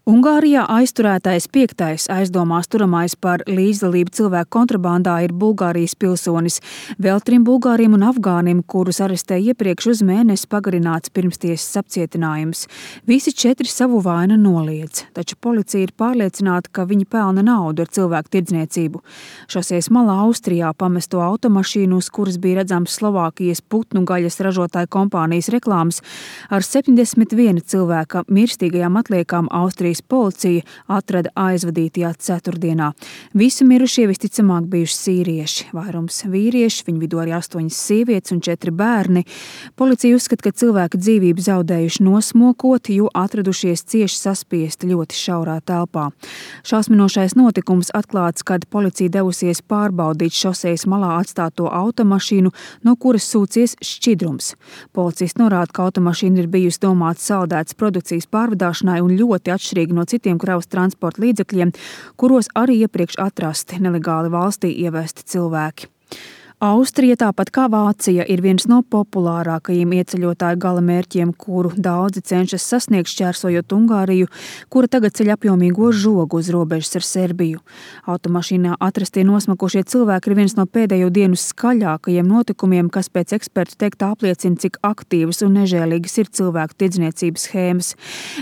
Ungārijā aizturētais 5. aizdomās turamais par līdzdalību cilvēku kontrabandā ir Bulgārijas pilsonis. Vēl 3 bulgāriem un afgānim, kurus arestēja iepriekš uz mēnesi pagarināts pirmstiesas apcietinājums. Visi 4 savu vainu noliedz, taču policija ir pārliecināta, ka viņi pelna naudu ar cilvēku tirdzniecību. Šoseis malā Austrijā pamesto automašīnu, uz kuras bija redzams Slovākijas putnu gaļas ražotāju kompānijas reklāmas, ar 71 cilvēka mirstīgajām atliekām Austrijas policija atrada aizvadītajā ceturtdienā. Visi mirušie visticamāk bijuši sīrieši, vairums vīrieši, viņu vidū arī 8 sievietes un 4 bērni. Policija uzskata, ka cilvēki dzīvību zaudējuši nosmokot, jo atradušies cieši saspiesti ļoti šaurā telpā. Šausminošais notikums atklāts, kad policija devusies pārbaudīt šosejas malā atstāto automašīnu, no kuras sūcies šķidrums. Policisti norāda, ka automašīna ir bijusi domāta saldētas produkcijas pārvadāšanai un ļoti atšķirīga no citiem kravas transporta līdzekļiem, kuros arī iepriekš atrasti nelegāli valstī ievesti cilvēki. Austrija, tāpat kā Vācija, ir viens no populārākajiem ieceļotāju galamērķiem, kuru daudzi cenšas sasniegt šķērsojot Ungāriju, kura tagad ceļ apjomīgo žogu uz robežas ar Serbiju. Automašīnā atrastie nosmakošie cilvēki ir viens no pēdējo dienu skaļākajiem notikumiem, kas pēc ekspertu teiktā apliecina, cik aktīvas un nežēlīgas ir cilvēku tirdzniecības schēmas.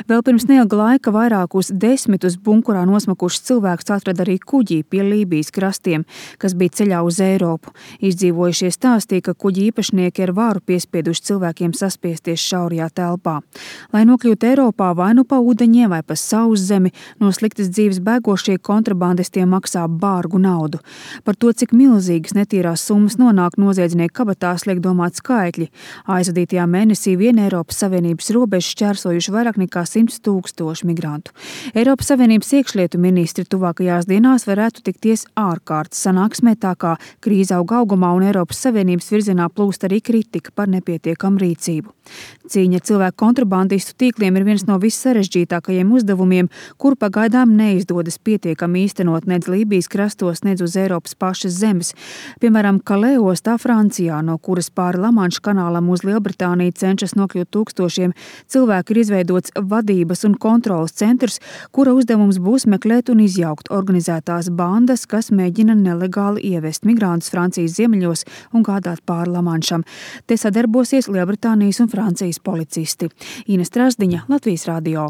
Vēl pirms neilga laika vairākus 10 bunkurā nosmakušus cilvēkus atrada arī kuģī pie Lībijas krastiem, kas bija ceļā uz Eiropu. Izdzīvojušie stāstīja, ka kuģi īpašnieki ar varu piespieduši cilvēkiem saspiesties šaurajā telpā. Lai nokļūtu Eiropā vai nu pa ūdeņiem vai pa sauszemi, no sliktas dzīves bēgošie kontrabandistiem maksā bārgu naudu. Par to, cik milzīgas netīrās summas nonāk noziedznieku kabatās, liek domāt skaitļi. Aizvadītajā mēnesī vien Eiropas Savienības robežu šķērsojuši vairāk nekā 100 000 migrantu. Eiropas Savienības iekšlietu ministri tuvākajās dienās varētu tikties ārkārtas sanāksmē, tā kā krīze augumā un Eiropas Savienības virzienā plūst arī kritika par nepietiekamu rīcību. Cīņa ar cilvēku kontrabandistu tīkliem ir viens no vissarežģītākajiem uzdevumiem, kuru pagaidām neizdodas pietiekami īstenot nedz Lībijas krastos, nedz uz Eiropas pašas zemes. Piemēram, Calais ostā Francijā, no kuras pāri Lamanša kanālam uz Lielbritāniju cenšas nokļūt tūkstošiem cilvēku, ir izveidots vadības un kontrolas centrs, kura uzdevums būs meklēt un izjaukt organizētās bandas, kas mēģina nelegāli ievest migrantus Francijas ziemeļos un gādāt pāri Lamanšam. Te sadarbosies Lielbritānijas un Francijas policisti. Ines Trasdiņa, Latvijas radio.